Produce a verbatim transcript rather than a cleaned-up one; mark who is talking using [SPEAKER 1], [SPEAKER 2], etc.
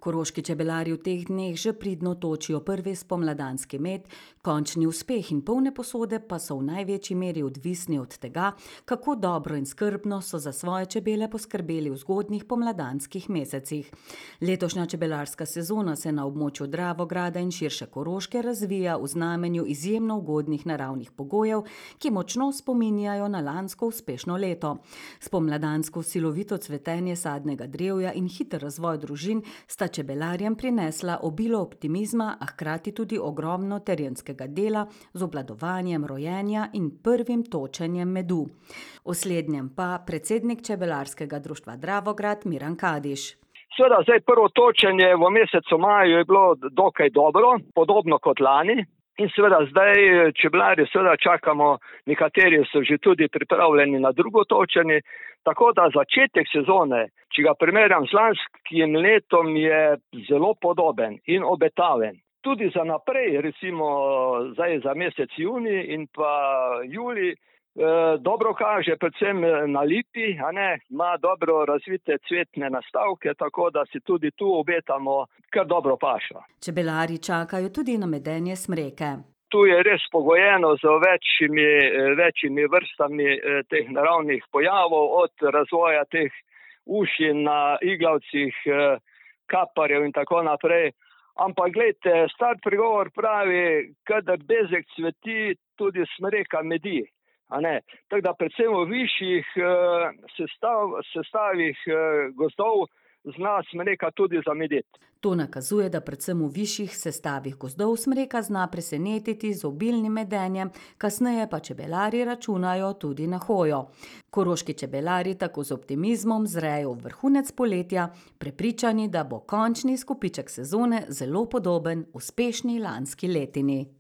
[SPEAKER 1] Koroški čebelarji v teh dneh že pridno točijo prvi spomladanski med, končni uspeh in polne posode pa so v največji meri odvisni od tega, kako dobro in skrbno so za svoje čebele poskrbeli v zgodnjih pomladanskih mesecih. Letošnja čebelarska sezona se na območju Dravograda in širše Koroške razvija v znamenju izjemno ugodnih naravnih pogojev, ki močno spominjajo na lansko uspešno leto. Spomladansko silovito cvetenje sadnega drevja in hiter razvoj družin sta čebelarjem prinesla obilo optimizma, a hkrati tudi ogromno terenskega dela z obvladovanjem rojenja in prvim točenjem medu. O slednjem pa predsednik čebelarskega društva Dravograd Miran Kadiš.
[SPEAKER 2] Seveda, zdaj prvo točenje v mesecu maju je bilo dokaj dobro, podobno kot lani. In seveda zdaj čebelarji seveda čakamo, nekateri so že tudi pripravljeni na drugo točenje, tako da začetek sezone, če ga primerjam z lanskim letom, je zelo podoben in obetaven. Tudi za naprej, recimo zdaj za mesec junij in pa julij, eh, dobro kaže predvsem na lipi, a ne, ima dobro razvite cvetne nastavke, tako da si tudi tu obetamo kar dobro pašo.
[SPEAKER 1] Čebelarji čakajo tudi na medenje smreke.
[SPEAKER 2] Tu je res pogojeno z večjimi, večjimi vrstami eh, teh naravnih pojavov, od razvoja teh uši na iglavcih, eh, kaparjev in tako naprej. Ampak gledajte, star pregovor pravi, kadar bezeg cveti, tudi smreka medi. A ne? Tako da predvsem v višjih eh, sestav, sestavih eh, gozdov zna smreka tudi zamedeti.
[SPEAKER 1] To nakazuje, da predvsem v višjih sestavih gozdov smreka zna presenetiti z obilnim medenjem, kasneje pa čebelarji računajo tudi na hojo. Koroški čebelarji tako z optimizmom zrejo v vrhunec poletja, prepričani, da bo končni izkupiček sezone zelo podoben uspešni lanski letini.